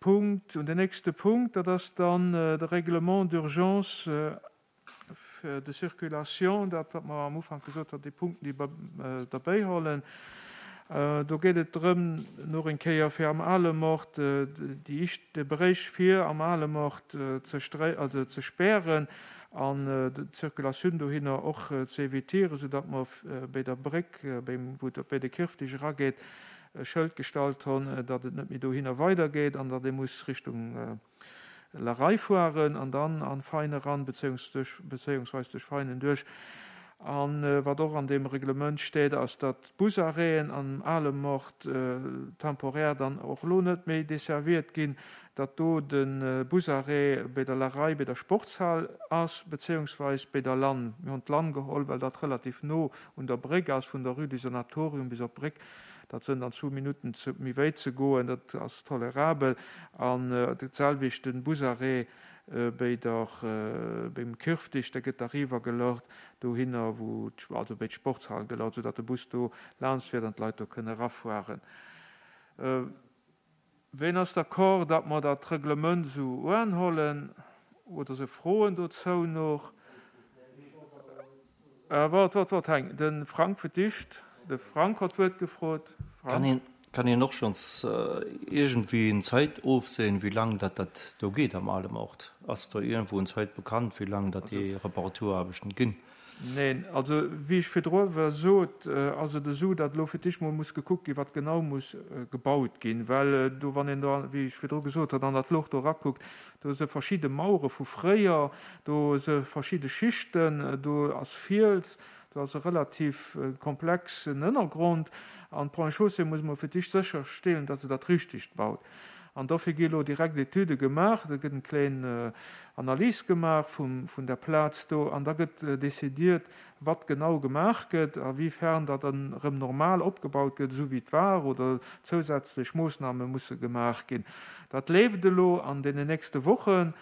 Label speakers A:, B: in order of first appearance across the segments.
A: Punkt, un den nächste Punkt, dat ass dann de Règlement d'urgence de circulation, dat wat mer am Ufank gesot haten, déi Punkten, déi mer derbäihollen. Do geet et drëm, nach eng Kéier fir am Alemort déi ischt, de Beréich fir am Alemort ze stré, also ze spären an d'Circulatioun dohinner och ze évitieren, soudatt mer béi der Bréck, béim, wou et op béi de Kirftisch erageet, e Schëld gestallt honn, datt et net méi dohinner weidergeet an datt ee muss Richtung La Rei fueren an dann an Vein eran, bezéiungsweis duerch Veinen duerch. A wat och an deem Reglement steet, ass, datt d'Busarrêten am Alemort temporär dann och elo net méi desserviert ginn, datt do de Busarrêt béi der La Rei, béi der Sportshal ass, bezéiungsweis béi der Lann. Mir hunn d'Lann geholl, well dat relativ no un der Bréck ass, vun der Rue du Sanatorium bis op d'Bréck. Dat sënn dann zwou Minutten ze méi wéit ze goen, dat ass tolerabel. An dat selwecht den Busarrêt béi der, béim Kirftisch, da gëtt da riwwer gelort dohinner wou, also béi d'Sportshal gelort, soudatt de Bus do laanscht fiert an d'Leit do kënne erafueren. Ween ass d'accord, datt mer dat Reglement esou uanhollen? Oder se Froen dozou nach? Wart, wart, wart, Heng, de Frank fir d'éischt. De Frank hott d'Wuert gefrot.
B: Frank. Kann een och schonns iergendwéi en Zait ofsehen, wéi lang dat dat do geet am Alemort? Ass do iergendwou en Zait bekannt, wéi lang dat déi Reparaturaarbechten ginn?
A: Neen, also wéi ech virdru awer sot, ass et esou, datt elo fir d'éischt mol muss gekuckt ginn, wat genau muss gebaut ginn, well do, wann een do, wéi ech virdru gesot hat, an dat Loch do erakuckt, do si verschidde Mauere vu fréier, do si verschidde Schichten, do ass Fiels, do ass e relativ komplexen Ënnergrond an d'Ponts et Chaussées muss mol fir d'éischt sécherstellen, datt se dat Richtegt baut. An dofir gi elo direkt Etüde gemaach, da gëtt eng kléin Analys gemaach vun der Plaz do an da gëtt decidiert, wat genau gemaach gëtt, a wéi fern dat dann erëm normal opgebaut gëtt, esou wéi et war, oder zousätzlech Moossname musse gemaach ginn. Dat leeft elo an deenen nächste Wochen.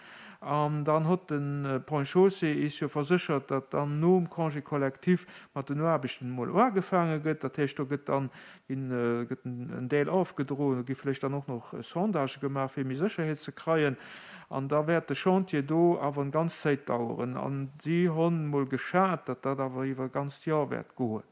A: An dann hott de Ponts et Chaussées is jo verséchert, datt dann nom Congé collectif mat den Aarbechten emol uagefaange gëtt. Dat heescht, do gëtt dann Ginn gëtt en Deel ofgedroen, do gi vläicht dann och nach Sondagë gemaach, fir méi Sécherheet ze kreien. An da wäert de Chantier do awer en ganz Zéit daueren. An si honn mol geschat, datt dat awer iwwer e ganzt Joer wäert goen.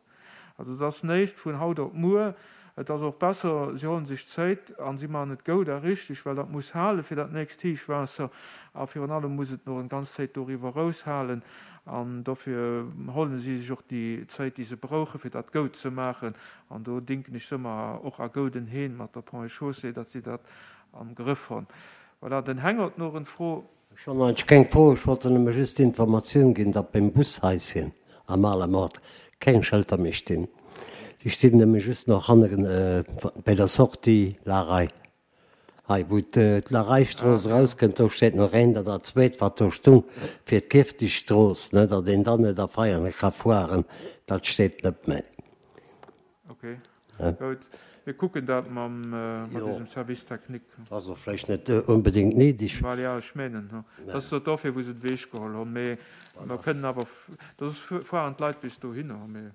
A: Also et ass néischt vun haut op muer. Et ass och besser, si hollen sech Zéit a si maachen et goud a richteg, well dat muss hale fir dat nächst Héichwaasser. A virun allem muss et nach en ganz Zéit doriwwer erous halen. An dofir hollen si sech och déi Zéit, déi se brauchen, fir dat goud ze maachen. An do dinken ech se ëmmer och a gouden Heen mat der Ponts et Chaussées, datt si dat am Grëff honn. Voilà, den Heng hott noch en Fro.
C: Ech hunn eigentlech keng Fro, ech wollt der nëmme just d'Informatioun ginn, datt beim Bushaischen am Alamort keng Schëlter méi stinn. Déi stinn nëmme just nach hanneren bei der Sortie Larei. Hei wou d'Lareistrooss erauskënnt, do steet nach een, dat dat zweet wat do stung fir d'Kirftischstrooss, ne, datt een dann net a Veianen ka fueren, dat steet net méi.
A: Ok, goud. Mir kucken dat mam, mat eisem Service technique.
C: Dat ass och vläicht net onbedéngt néideg.
A: Well jo, ech menen, dat ass jo dofir wou se den Weg geholl hunn, mee mer kënnen awer, soss fueren d'Leit bis dohinner, mee.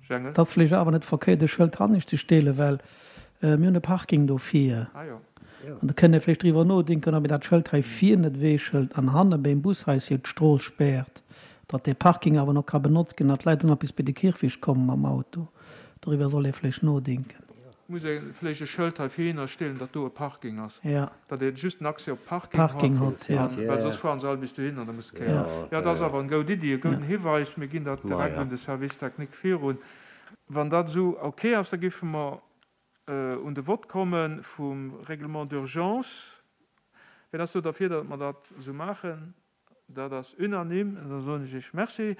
D: Jengel. Et ass vläicht awer net verkéiert e Schëld hannescht ze stelen, well mir hunn e Parking do vir. An da kënnt ee vläicht driwwer nodenken, ob een dat Schëld hei vir net ewechhëlt an hanne beim Bushaischen d'Strooss späert, datt dee Parking awer nach ka benotzt ginn, datt d'Leit dann och bis bei de Kierfecht komme mam Auto. Doriwwer soll ee vläicht nodenken.
A: Muss ee vläicht e Schëld hei vir hinnerstellen, datt do e Parking ass. Datt ee just den Accès op
D: Parking hott,
A: well soss fueren se all bis dohin an da muss de kéieren. Jo, dat ass awer eng goud Iddi, e gouden Hiweis. Mir ginn dat direkt un de Service technique virun. Wann dat esou ok ass, da géife mer un de Vott komme vum Règlement d'urgence. Wien ass do derfir, datt mer dat esou maachen? Dat ass unanime. Da soen ech Iech Merci.